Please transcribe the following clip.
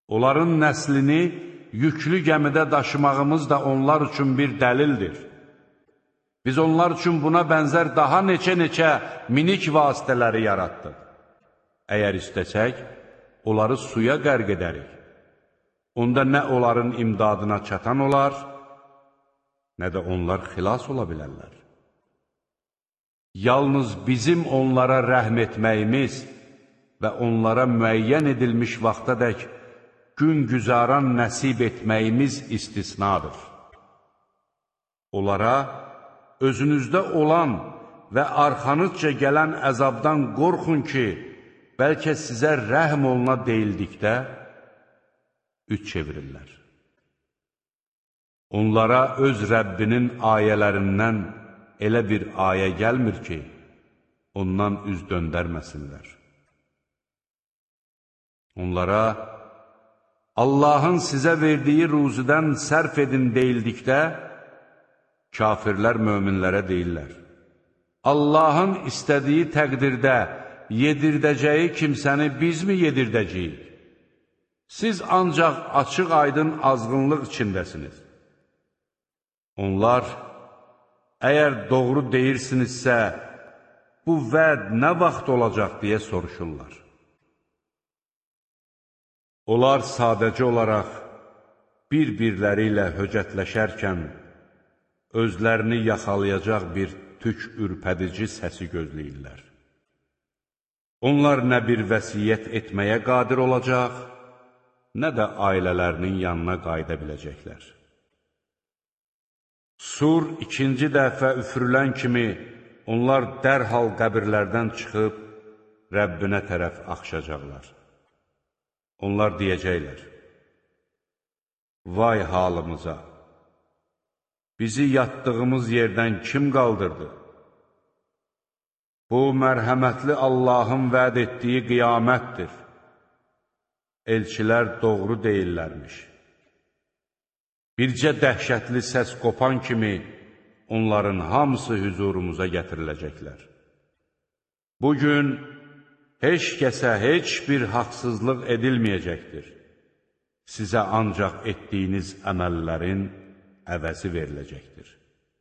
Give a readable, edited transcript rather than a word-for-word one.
Onların nəslini yüklü gəmidə daşımağımız da onlar üçün bir dəlildir. Biz onlar üçün buna bənzər daha neçə minik vasitələri yaratdıq. Əgər istəsək, onları suya qərq edərik. Onda nə onların imdadına çatan olar, nə də onlar xilas ola bilərlər. Yalnız bizim onlara rəhm etməyimiz və onlara müəyyən edilmiş vaxtadək gün güzaran nəsib etməyimiz istisnadır. Onlara özünüzdə olan və arxanızca gələn əzabdan qorxun ki, bəlkə sizə rəhm oluna deyildikdə üç çevirirlər. Onlara öz Rəbbinin ayələrindən elə bir ayə gəlmir ki, ondan üz döndərməsinlər. Onlara Allahın sizə verdiyi ruzidən sərf edin deyildikdə, kafirlər möminlərə deyirlər: Allahın istədiyi təqdirdə yedirdəcəyi kimsəni biz mi yedirdəcəyik? Siz ancaq açıq aydın azğınlıq içindəsiniz. Onlar, əgər doğru deyirsinizsə, bu vəd nə vaxt olacaq deyə soruşurlar. Onlar sadəcə olaraq bir-birləri ilə höcətləşərkən özlərini yaxalayacaq bir tük ürpədici səsi gözləyirlər. Onlar nə bir vəsiyyət etməyə qadir olacaq, nə də ailələrinin yanına qayıda biləcəklər. Sur ikinci dəfə üfürülən kimi onlar dərhal qəbirlərdən çıxıb Rəbbinə tərəf axışacaqlar. Onlar deyəcəklər: Vay halımıza! Bizi yatdığımız yerdən kim qaldırdı? Bu, mərhəmətli Allahın vəd etdiyi qiyamətdir. Elçilər doğru deyirlərmiş. Bircə dəhşətli səs qopan kimi onların hamısı hüzurumuza gətiriləcəklər. Bugün heç kəsə heç bir haqsızlıq edilməyəcəkdir. Sizə ancaq etdiyiniz əməllərin əvəzi veriləcəkdir.